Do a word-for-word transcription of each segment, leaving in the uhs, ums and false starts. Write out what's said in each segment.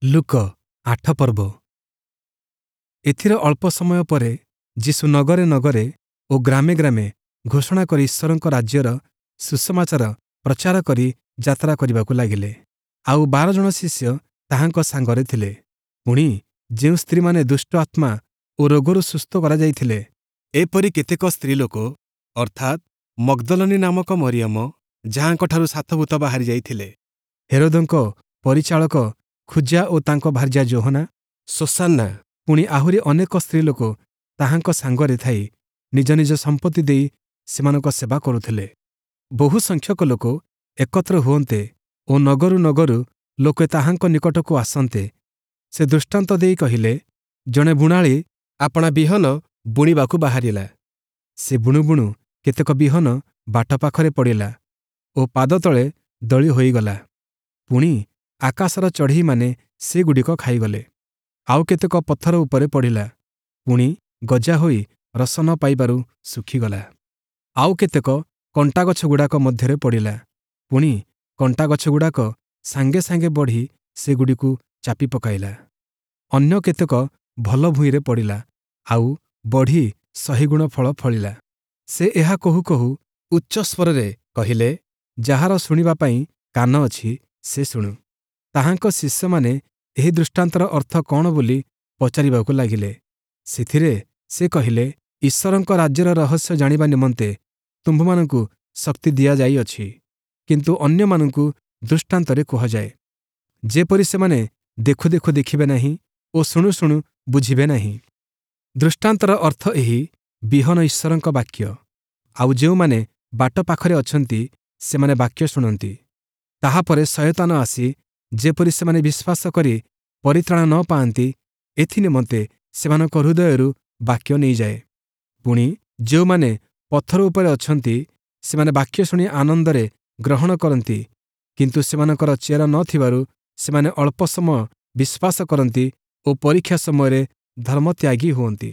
ଲୂକ ଆଠ ପର୍ବ ଏଥିର ଅଳ୍ପ ସମୟ ପରେ ଯୀଶୁ ନଗରେ ନଗରେ ଓ ଗ୍ରାମେ ଗ୍ରାମେ ଘୋଷଣା କରି ଈଶ୍ୱରଙ୍କ ରାଜ୍ୟର ସୁସମାଚାର ପ୍ରଚାର କରି ଯାତ୍ରା କରିବାକୁ ଲାଗିଲେ। ଆଉ ବାର ଜଣ ଶିଷ୍ୟ ତାହାଙ୍କ ସାଙ୍ଗରେ ଥିଲେ। ପୁଣି ଯେଉଁ ସ୍ତ୍ରୀମାନେ ଦୁଷ୍ଟ ଆତ୍ମା ଓ ରୋଗରୁ ସୁସ୍ଥ କରାଯାଇଥିଲେ, ଏପରି କେତେକ ସ୍ତ୍ରୀଲୋକ, ଅର୍ଥାତ୍ ମଗ୍ଦଲନୀ ନାମକ ମରିୟମ, ଯାହାଙ୍କଠାରୁ ସାତ ଭୂତ ବାହାରି ଯାଇଥିଲେ, ହେରୋଦଙ୍କ ପରିଚାଳକ ଖୁଜା ଓ ତାଙ୍କ ଭାର୍ଯ୍ୟା ଯୋହନା, ଶୋଶାନ୍ନା, ପୁଣି ଆହୁରି ଅନେକ ସ୍ତ୍ରୀଲୋକ ତାହାଙ୍କ ସାଙ୍ଗରେ ଥାଇ ନିଜ ନିଜ ସମ୍ପତ୍ତି ଦେଇ ସେମାନଙ୍କ ସେବା କରୁଥିଲେ। ବହୁ ସଂଖ୍ୟକ ଲୋକ ଏକତ୍ର ହୁଅନ୍ତେ ଓ ନଗରୁ ନଗରୁ ଲୋକେ ତାହାଙ୍କ ନିକଟକୁ ଆସନ୍ତେ, ସେ ଦୃଷ୍ଟାନ୍ତ ଦେଇ କହିଲେ, ଜଣେ ବୁଣାଳୀ ଆପଣା ବିହନ ବୁଣିବାକୁ ବାହାରିଲା। ସେ ବୁଣୁ ବୁଣୁ କେତେକ ବିହନ ବାଟ ପାଖରେ ପଡ଼ିଲା ଓ ପାଦତଳେ ଦଳି ହୋଇଗଲା। ପୁଣି ଆକାଶର ଚଢ଼େଇମାନେ ସେଗୁଡ଼ିକ ଖାଇଗଲେ। ଆଉ କେତେକ ପଥର ଉପରେ ପଡ଼ିଲା, ପୁଣି ଗଜା ହୋଇ ରସ ନ ପାଇବାରୁ ଶୁଖିଗଲା। ଆଉ କେତେକ କଣ୍ଟାଗଛଗୁଡ଼ାକ ମଧ୍ୟରେ ପଡ଼ିଲା, ପୁଣି କଣ୍ଟାଗଛଗୁଡ଼ାକ ସାଙ୍ଗେ ସାଙ୍ଗେ ବଢ଼ି ସେଗୁଡ଼ିକୁ ଚାପି ପକାଇଲା। ଅନ୍ୟ କେତେକ ଭଲ ଭୂଇଁରେ ପଡ଼ିଲା, ଆଉ ବଢ଼ି ଶହେଗୁଣ ଫଳ ଫଳିଲା। ସେ ଏହା କହୁ କହୁ ଉଚ୍ଚ ସ୍ୱରରେ କହିଲେ, ଯାହାର ଶୁଣିବା ପାଇଁ କାନ ଅଛି, ସେ ଶୁଣୁ। ତାହାଙ୍କ ଶିଷ୍ୟମାନେ ଏହି ଦୃଷ୍ଟାନ୍ତର ଅର୍ଥ କଅଣ ବୋଲି ପଚାରିବାକୁ ଲାଗିଲେ। ସେଥିରେ ସେ କହିଲେ, ଈଶ୍ୱରଙ୍କ ରାଜ୍ୟର ରହସ୍ୟ ଜାଣିବା ନିମନ୍ତେ ତୁମ୍ଭମାନଙ୍କୁ ଶକ୍ତି ଦିଆଯାଇଅଛି, କିନ୍ତୁ ଅନ୍ୟମାନଙ୍କୁ ଦୃଷ୍ଟାନ୍ତରେ କୁହାଯାଏ, ଯେପରି ସେମାନେ ଦେଖୁ ଦେଖୁ ଦେଖିବେ ନାହିଁ ଓ ଶୁଣୁ ଶୁଣୁ ବୁଝିବେ ନାହିଁ। ଦୃଷ୍ଟାନ୍ତର ଅର୍ଥ ଏହି, ବିହନ ଈଶ୍ୱରଙ୍କ ବାକ୍ୟ। ଆଉ ଯେଉଁମାନେ ବାଟ ପାଖରେ ଅଛନ୍ତି, ସେମାନେ ବାକ୍ୟ ଶୁଣନ୍ତି। ତାହାପରେ ଶୟତାନ ଆସି ଯେପରି ସେମାନେ ବିଶ୍ୱାସ କରି ପରିତ୍ରାଣ ନ ପାଆନ୍ତି, ଏଥି ନିମନ୍ତେ ସେମାନଙ୍କ ହୃଦୟରୁ ବାକ୍ୟ ନେଇଯାଏ। ପୁଣି ଯେଉଁମାନେ ପଥର ଉପରେ ଅଛନ୍ତି, ସେମାନେ ବାକ୍ୟ ଶୁଣି ଆନନ୍ଦରେ ଗ୍ରହଣ କରନ୍ତି, କିନ୍ତୁ ସେମାନଙ୍କର ଚେର ନ ଥିବାରୁ ସେମାନେ ଅଳ୍ପ ସମୟ ବିଶ୍ୱାସ କରନ୍ତି ଓ ପରୀକ୍ଷା ସମୟରେ ଧର୍ମତ୍ୟାଗୀ ହୁଅନ୍ତି।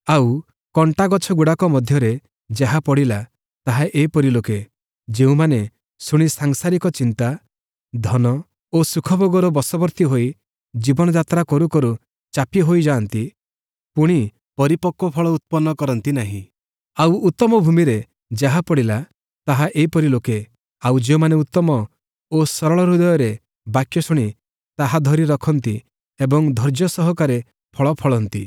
ଆଉ କଣ୍ଟାଗଛଗୁଡ଼ାକ ମଧ୍ୟରେ ଯାହା ପଡ଼ିଲା, ତାହା ଏପରି ଲୋକେ, ଯେଉଁମାନେ ଶୁଣି ସାଂସାରିକ ଚିନ୍ତା, ଧନ ଓ ସୁଖଭୋଗର ବଶବର୍ତ୍ତୀ ହୋଇ ଜୀବନଯାତ୍ରା କରୁ କରୁ ଚାପି ହୋଇଯାଆନ୍ତି, ପୁଣି ପରିପକ୍ୱ ଫଳ ଉତ୍ପନ୍ନ କରନ୍ତି ନାହିଁ। ଆଉ ଉତ୍ତମ ଭୂମିରେ ଯାହା ପଡ଼ିଲା, ତାହା ଏପରି ଲୋକେ, ଆଉ ଯେଉଁମାନେ ଉତ୍ତମ ଓ ସରଳ ହୃଦୟରେ ବାକ୍ୟ ଶୁଣି ତାହା ଧରି ରଖନ୍ତି ଏବଂ ଧୈର୍ଯ୍ୟ ସହକାରେ ଫଳ ଫଳନ୍ତି।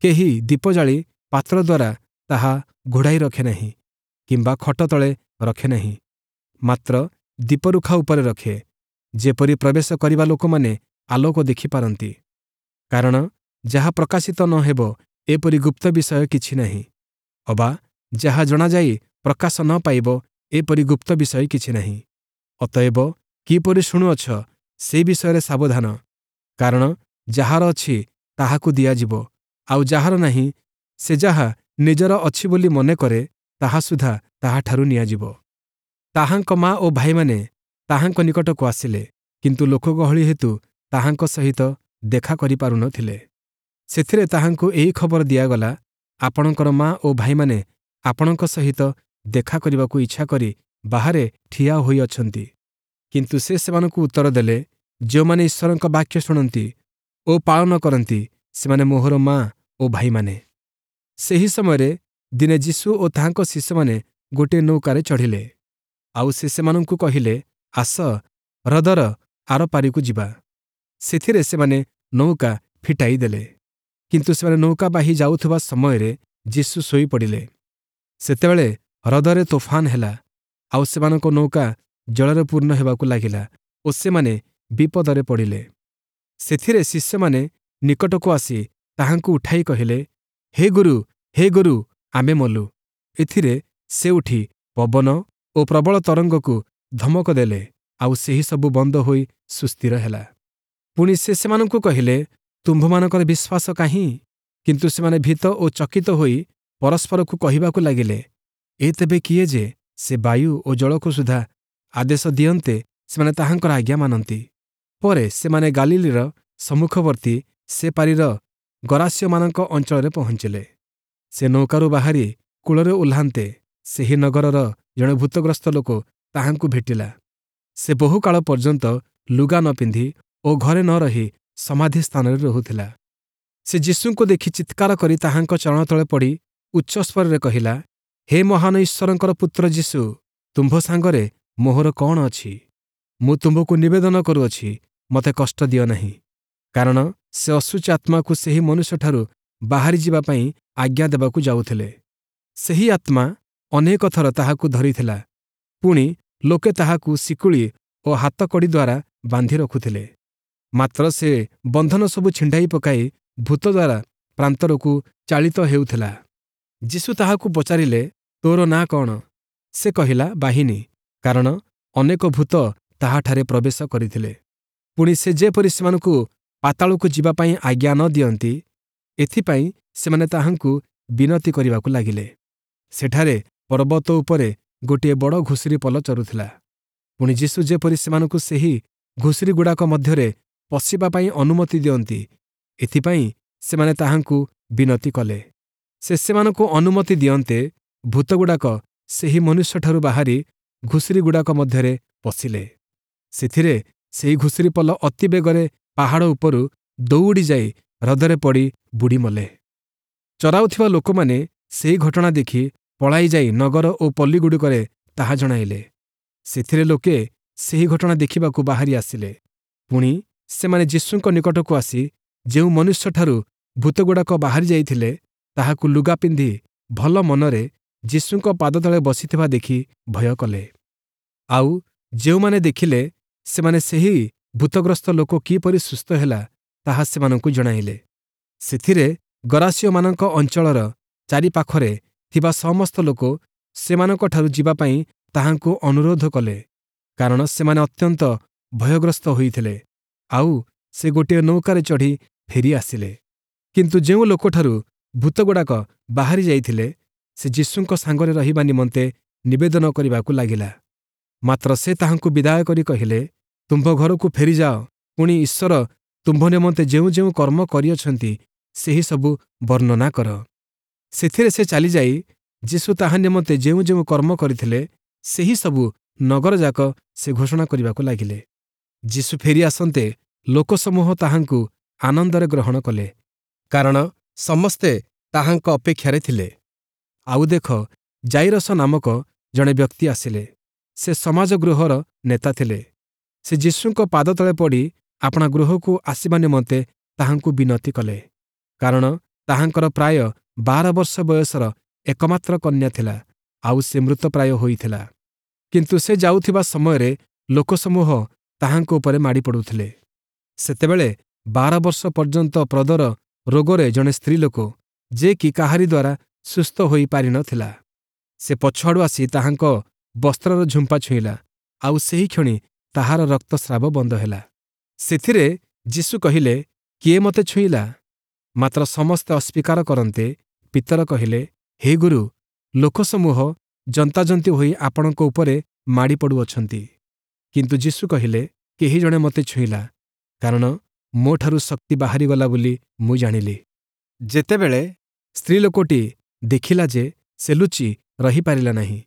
କେହି ଦୀପ ଜାଳି ପାତ୍ର ଦ୍ୱାରା ତାହା ଘୋଡ଼ାଇ ରଖେ ନାହିଁ କିମ୍ବା ଖଟ ତଳେ ରଖେ ନାହିଁ, ମାତ୍ର ଦୀପରୁଖା ଉପରେ ରଖେ, ଯେପରି ପ୍ରବେଶ କରିବା ଲୋକମାନେ ଆଲୋକ ଦେଖିପାରନ୍ତି। କାରଣ ଯାହା ପ୍ରକାଶିତ ନ ହେବ, ଏପରି ଗୁପ୍ତ ବିଷୟ କିଛି ନାହିଁ, ଅବା ଯାହା ଜଣାଯାଇ ପ୍ରକାଶ ନ ପାଇବ, ଏପରି ଗୁପ୍ତ ବିଷୟ କିଛି ନାହିଁ। ଅତଏବ କିପରି ଶୁଣୁଅଛ, ସେ ବିଷୟରେ ସାବଧାନ। କାରଣ ଯାହାର ଅଛି, ତାହାକୁ ଦିଆଯିବ, ଆଉ ଯାହାର ନାହିଁ, ସେ ଯାହା ନିଜର ଅଛି ବୋଲି ମନେ କରେ, ତାହା ସୁଦ୍ଧା ତାହାଠାରୁ ନିଆଯିବ। ତାହାଙ୍କ ମା ଓ ଭାଇମାନେ ତାହାଙ୍କ ନିକଟକୁ ଆସିଲେ, କିନ୍ତୁ ଲୋକଗହଳି ହେତୁ ତାହାଙ୍କ ସହିତ ଦେଖା କରିପାରୁ ନ ଥିଲେ। ସେଥିରେ ତାହାଙ୍କୁ ଏହି ଖବର ଦିଆଗଲା, ଆପଣଙ୍କର ମା ଓ ଭାଇମାନେ ଆପଣଙ୍କ ସହିତ ଦେଖା କରିବାକୁ ଇଚ୍ଛା କରି ବାହାରେ ଠିଆ ହୋଇଅଛନ୍ତି। କିନ୍ତୁ ସେ ସେମାନଙ୍କୁ ଉତ୍ତର ଦେଲେ, ଯେଉଁମାନେ ଈଶ୍ୱରଙ୍କ ବାକ୍ୟ ଶୁଣନ୍ତି ଓ ପାଳନ କରନ୍ତି, ସେମାନେ ମୋହର ମା ଓ ଭାଇମାନେ। ସେହି ସମୟରେ ଦିନେ ଯୀଶୁ ଓ ତାହାଙ୍କ ଶିଷ୍ୟମାନେ ଗୋଟିଏ ନୌକାରେ ଚଢ଼ିଲେ। ଆଉ ସେ ସେମାନଙ୍କୁ କହିଲେ, ଆସ, ହ୍ରଦର ଆରପାରିକୁ ଯିବା। ସେଥିରେ ସେମାନେ ନୌକା ଫିଟାଇ ଦେଲେ। କିନ୍ତୁ ସେମାନେ ନୌକା ବାହି ଯାଉଥିବା ସମୟରେ ଯୀଶୁ ଶୋଇପଡ଼ିଲେ। ସେତେବେଳେ ହ୍ରଦରେ ତୋଫାନ ହେଲା, ଆଉ ସେମାନଙ୍କ ନୌକା ଜଳରେ ପୂର୍ଣ୍ଣ ହେବାକୁ ଲାଗିଲା ଓ ସେମାନେ ବିପଦରେ ପଡ଼ିଲେ। ସେଥିରେ ଶିଷ୍ୟମାନେ ନିକଟକୁ ଆସି ତାହାଙ୍କୁ ଉଠାଇ କହିଲେ, ହେ ଗୁରୁ, ହେ ଗୁରୁ, ଆମେ ମଲୁ। ଏଥିରେ ସେ ଉଠି ପବନ ଓ ପ୍ରବଳ ତରଙ୍ଗକୁ ଧମକ ଦେଲେ, ଆଉ ସେହି ସବୁ ବନ୍ଦ ହୋଇ ସୁସ୍ଥିର ହେଲା। ପୁଣି ସେ ସେମାନଙ୍କୁ କହିଲେ, ତୁମ୍ଭମାନଙ୍କର ବିଶ୍ୱାସ କାହିଁ? କିନ୍ତୁ ସେମାନେ ଭୀତ ଓ ଚକିତ ହୋଇ ପରସ୍ପରକୁ କହିବାକୁ ଲାଗିଲେ, ଏ ତେବେ କିଏ ଯେ ସେ ବାୟୁ ଓ ଜଳକୁ ସୁଦ୍ଧା ଆଦେଶ ଦିଅନ୍ତେ ସେମାନେ ତାହାଙ୍କର ଆଜ୍ଞା ମାନନ୍ତି? ପରେ ସେମାନେ ଗାଲିଲୀର ସମ୍ମୁଖବର୍ତ୍ତୀ ସେ ପାରିର ଗରାସୀୟମାନଙ୍କ ଅଞ୍ଚଳରେ ପହଞ୍ଚିଲେ। ସେ ନୌକାରୁ ବାହାରି କୂଳରେ ଓହ୍ଲାନ୍ତେ ସେହି ନଗରର ଜଣେ ଭୂତଗ୍ରସ୍ତ ଲୋକ ତାହାଙ୍କୁ ଭେଟିଲା। ସେ ବହୁକାଳ ପର୍ଯ୍ୟନ୍ତ ଲୁଗା ନ ପିନ୍ଧି ଓ ଘରେ ନ ରହି ସମାଧି ସ୍ଥାନରେ ରହୁଥିଲା। ସେ ଯୀଶୁଙ୍କୁ ଦେଖି ଚିତ୍କାର କରି ତାହାଙ୍କ ଚରଣ ତଳେ ପଡ଼ି ଉଚ୍ଚସ୍ୱରରେ କହିଲା, ହେ ମହାନ ଈଶ୍ୱରଙ୍କର ପୁତ୍ର ଯୀଶୁ, ତୁମ୍ଭ ସାଙ୍ଗରେ ମୋହର କଅଣ ଅଛି? ମୁଁ ତୁମ୍ଭକୁ ନିବେଦନ କରୁଅଛି, ମୋତେ କଷ୍ଟ ଦିଅ ନାହିଁ। କାରଣ ସେ ଅଶୁଚି ଆତ୍ମାକୁ ସେହି ମନୁଷ୍ୟଠାରୁ ବାହାରି ଯିବା ପାଇଁ ଆଜ୍ଞା ଦେବାକୁ ଯାଉଥିଲେ। ସେହି ଆତ୍ମା ଅନେକ ଥର ତାହାକୁ ଧରିଥିଲା, ପୁଣି ଲୋକେ ତାହାକୁ ଶିକୁଳି ଓ ହାତକଡ଼ି ଦ୍ୱାରା ବାନ୍ଧି ରଖୁଥିଲେ। ମାତ୍ର ସେ ବନ୍ଧନ ସବୁ ଛିଣ୍ଡାଇ ପକାଇ ଭୂତ ଦ୍ୱାରା ପ୍ରାନ୍ତରକୁ ଚାଳିତ ହେଉଥିଲା। ଯୀଶୁ ତାହାକୁ ପଚାରିଲେ, ତୋର ନାଁ କଅଣ? ସେ କହିଲା, ବାହିନୀ, କାରଣ ଅନେକ ଭୂତ ତାହାଠାରେ ପ୍ରବେଶ କରିଥିଲେ। ପୁଣି ସେ ଯେପରି ସେମାନଙ୍କୁ ପାତାଳକୁ ଯିବା ପାଇଁ ଆଜ୍ଞା ନ ଦିଅନ୍ତି, ଏଥିପାଇଁ ସେମାନେ ତାହାଙ୍କୁ ବିନତି କରିବାକୁ ଲାଗିଲେ। ସେଠାରେ ପର୍ବତ ଉପରେ ଗୋଟିଏ ବଡ଼ ଘୁଷୁରି ପଲ ଚରୁଥିଲା। ପୁଣି ଯୀଶୁ ଯେପରି ସେମାନଙ୍କୁ ସେହି ଘୁଷୁରିଗୁଡ଼ାକ ମଧ୍ୟରେ ପଶିବା ପାଇଁ ଅନୁମତି ଦିଅନ୍ତି, ଏଥିପାଇଁ ସେମାନେ ତାହାଙ୍କୁ ବିନତି କଲେ। ସେ ସେମାନଙ୍କୁ ଅନୁମତି ଦିଅନ୍ତେ ଭୂତଗୁଡ଼ାକ ସେହି ମନୁଷ୍ୟଠାରୁ ବାହାରି ଘୁଷୁରିଗୁଡ଼ାକ ମଧ୍ୟରେ ପଶିଲେ। ସେଥିରେ ସେହି ଘୁଷୁରି ପଲ ଅତି ବେଗରେ ପାହାଡ଼ ଉପରୁ ଦୌଡ଼ି ଯାଇ ହ୍ରଦରେ ପଡ଼ି ବୁଡ଼ି ମଲେ। ଚରାଉଥିବା ଲୋକମାନେ ସେହି ଘଟଣା ଦେଖି ପଳାଇ ଯାଇ ନଗର ଓ ପଲ୍ଲୀଗୁଡ଼ିକରେ ତାହା ଜଣାଇଲେ। ସେଥିରେ ଲୋକେ ସେହି ଘଟଣା ଦେଖିବାକୁ ବାହାରି ଆସିଲେ। ପୁଣି ସେମାନେ ଯୀଶୁଙ୍କ ନିକଟକୁ ଆସି ଯେଉଁ ମନୁଷ୍ୟଠାରୁ ଭୂତଗୁଡ଼ାକ ବାହାରି ଯାଇଥିଲେ, ତାହାକୁ ଲୁଗା ପିନ୍ଧି ଭଲ ମନରେ ଯୀଶୁଙ୍କ ପାଦତଳେ ବସିଥିବା ଦେଖି ଭୟ କଲେ। ଆଉ ଯେଉଁମାନେ ଦେଖିଲେ, ସେମାନେ ସେହି ଭୂତଗ୍ରସ୍ତ ଲୋକ କିପରି ସୁସ୍ଥ ହେଲା, ତାହା ସେମାନଙ୍କୁ ଜଣାଇଲେ। ସେଥିରେ ଗରାସୀୟମାନଙ୍କ ଅଞ୍ଚଳର ଚାରିପାଖରେ ଥିବା ସମସ୍ତ ଲୋକ ସେମାନଙ୍କଠାରୁ ଯିବା ପାଇଁ ତାହାଙ୍କୁ ଅନୁରୋଧ କଲେ, କାରଣ ସେମାନେ ଅତ୍ୟନ୍ତ ଭୟଗ୍ରସ୍ତ ହୋଇଥିଲେ। ଆଉ ସେ ଗୋଟିଏ ନୌକାରେ ଚଢ଼ି ଫେରି ଆସିଲେ। କିନ୍ତୁ ଯେଉଁ ଲୋକଠାରୁ ଭୂତଗୁଡ଼ାକ ବାହାରି ଯାଇଥିଲେ, ସେ ଯୀଶୁଙ୍କ ସାଙ୍ଗରେ ରହିବା ନିମନ୍ତେ ନିବେଦନ କରିବାକୁ ଲାଗିଲା। ମାତ୍ର ସେ ତାହାଙ୍କୁ ବିଦାୟ କରି କହିଲେ, ତୁମ୍ଭ ଘରକୁ ଫେରିଯାଅ, ପୁଣି ଈଶ୍ୱର ତୁମ୍ଭ ନିମନ୍ତେ ଯେଉଁ ଯେଉଁ କର୍ମ କରିଅଛନ୍ତି, ସେହି ସବୁ ବର୍ଣ୍ଣନା କର। ସେଥିରେ ସେ ଚାଲିଯାଇ ଯୀଶୁ ତାହା ନିମନ୍ତେ ଯେଉଁ ଯେଉଁ କର୍ମ କରିଥିଲେ, ସେହି ସବୁ ନଗରଯାକ ସେ ଘୋଷଣା କରିବାକୁ ଲାଗିଲେ। ଯୀଶୁ ଫେରି ଆସନ୍ତେ ଲୋକସମୂହ ତାହାଙ୍କୁ ଆନନ୍ଦରେ ଗ୍ରହଣ କଲେ, କାରଣ ସମସ୍ତେ ତାହାଙ୍କ ଅପେକ୍ଷାରେ ଥିଲେ। ଆଉ ଦେଖ, ଯାଇରସ ନାମକ ଜଣେ ବ୍ୟକ୍ତି ଆସିଲେ। ସେ ସମାଜ ଗୃହର ନେତା ଥିଲେ। ସେ ଯୀଶୁଙ୍କ ପାଦତଳେ ପଡ଼ି ଆପଣା ଗୃହକୁ ଆସିବା ନିମନ୍ତେ ତାହାଙ୍କୁ ବିନତି କଲେ, କାରଣ ତାହାଙ୍କର ପ୍ରାୟ ବାର ବର୍ଷ ବୟସର ଏକମାତ୍ର କନ୍ୟା ଥିଲା, ଆଉ ସେ ମୃତପ୍ରାୟ ହୋଇଥିଲା। କିନ୍ତୁ ସେ ଯାଉଥିବା ସମୟରେ ଲୋକସମୂହ ତାହାଙ୍କ ଉପରେ ମାଡ଼ି ପଡ଼ୁଥିଲେ। ସେତେବେଳେ ବାର ବର୍ଷ ପର୍ଯ୍ୟନ୍ତ ପ୍ରଦର ରୋଗରେ ଜଣେ ସ୍ତ୍ରୀଲୋକ, ଯେ କି କାହାରି ଦ୍ୱାରା ସୁସ୍ଥ ହୋଇ ପାରିନଥିଲା, ସେ ପଛଆଡ଼ୁ ଆସି ତାହାଙ୍କ ବସ୍ତ୍ରର ଝୁମ୍ପା ଛୁଇଁଲା, ଆଉ ସେହିକ୍ଷଣି ତାହାର ରକ୍ତସ୍ରାବ ବନ୍ଦ ହେଲା। ସେଥିରେ ଯୀଶୁ କହିଲେ, କିଏ ମୋତେ ଛୁଇଁଲା? ମାତ୍ର ସମସ୍ତେ ଅସ୍ୱୀକାର କରନ୍ତେ ପିତର କହିଲେ, ହେ ଗୁରୁ, ଲୋକସମୂହ ଯନ୍ତାଯନ୍ତି ହୋଇ ଆପଣଙ୍କ ଉପରେ ମାଡ଼ି ପଡ଼ୁଅଛନ୍ତି। କିନ୍ତୁ ଯୀଶୁ କହିଲେ, କେହି ଜଣେ ମୋତେ ଛୁଇଁଲା, କାରଣ ମୋଠାରୁ ଶକ୍ତି ବାହାରିଗଲା ବୋଲି ମୁଁ ଜାଣିଲି। ଯେତେବେଳେ ସ୍ତ୍ରୀଲୋକଟି ଦେଖିଲା ଯେ ସେ ଲୁଚି ରହିପାରିଲା ନାହିଁ,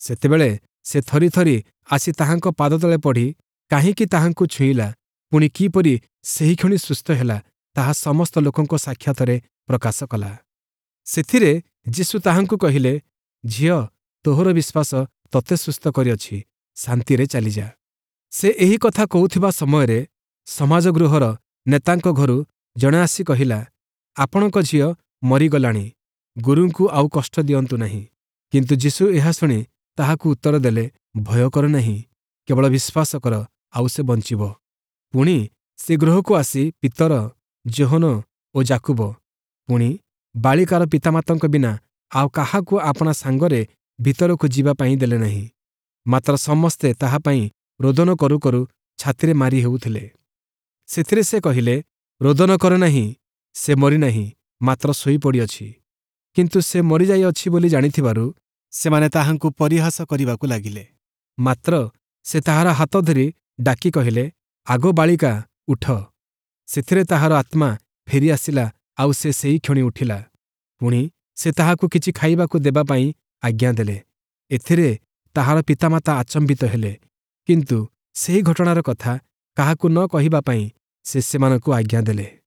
ସେତେବେଳେ ସେ ଥରି ଥରି ଆସି ତାହାଙ୍କ ପାଦତଳେ ପଡ଼ି କାହିଁକି ତାହାଙ୍କୁ ଛୁଇଁଲା, ପୁଣି କିପରି ସେହିକ୍ଷଣି ସୁସ୍ଥ ହେଲା, ତାହା ସମସ୍ତ ଲୋକଙ୍କ ସାକ୍ଷାତରେ ପ୍ରକାଶ କଲା। ସେଥିରେ ଯୀଶୁ ତାହାଙ୍କୁ କହିଲେ, ଝିଅ, ତୋହର ବିଶ୍ୱାସ ତୋତେ ସୁସ୍ଥ କରିଅଛି, ଶାନ୍ତିରେ ଚାଲିଯା। ସେ ଏହି କଥା କହୁଥିବା ସମୟରେ ସମାଜ ଗୃହର ନେତାଙ୍କ ଘରୁ ଜଣେ ଆସି କହିଲା, ଆପଣଙ୍କ ଝିଅ ମରିଗଲାଣି, ଗୁରୁଙ୍କୁ ଆଉ କଷ୍ଟ ଦିଅନ୍ତୁ ନାହିଁ। କିନ୍ତୁ ଯୀଶୁ ଏହା ଶୁଣି ତାହାକୁ ଉତ୍ତର ଦେଲେ, ଭୟ କର ନାହିଁ, କେବଳ ବିଶ୍ୱାସ କର, ଆଉ ସେ ବଞ୍ଚିବ। ପୁଣି ସେ ଗୃହକୁ ଆସି ପିତର, ଯୋହନ ଓ ଯାକୁବ, ପୁଣି ବାଳିକାର ପିତାମାତାଙ୍କ ବିନା ଆଉ କାହାକୁ ଆପଣା ସାଙ୍ଗରେ ଭିତରକୁ ଯିବା ପାଇଁ ଦେଲେ ନାହିଁ। ମାତ୍ର ସମସ୍ତେ ତାହା ପାଇଁ ରୋଦନ କରୁ କରୁ ଛାତିରେ ମାରି ହେଉଥିଲେ। ସେଥିରେ ସେ କହିଲେ, ରୋଦନ କର ନାହିଁ, ସେ ମରିନାହିଁ, ମାତ୍ର ଶୋଇପଡ଼ିଅଛି। କିନ୍ତୁ ସେ ମରିଯାଇଅଛି ବୋଲି ଜାଣିଥିବାରୁ ସେମାନେ ତାହାଙ୍କୁ ପରିହାସ କରିବାକୁ ଲାଗିଲେ। ମାତ୍ର ସେ ତାହାର ହାତ ଧରି ଡାକି କହିଲେ, ଆଗୋ ବାଳିକା, ଉଠ। ସେଥିରେ ତାହାର ଆତ୍ମା ଫେରି ଆସିଲା, ଆଉ ସେ ସେହିକ୍ଷଣି ଉଠିଲା। ପୁଣି ସେ ତାହାକୁ କିଛି ଖାଇବାକୁ ଦେବା ପାଇଁ ଆଜ୍ଞା ଦେଲେ। ଏଥିରେ ତାହାର ପିତାମାତା ଆଚମ୍ବିତ ହେଲେ, କିନ୍ତୁ ସେହି ଘଟଣାର କଥା କାହାକୁ ନ କହିବା ପାଇଁ ସେ ସେମାନଙ୍କୁ ଆଜ୍ଞା ଦେଲେ।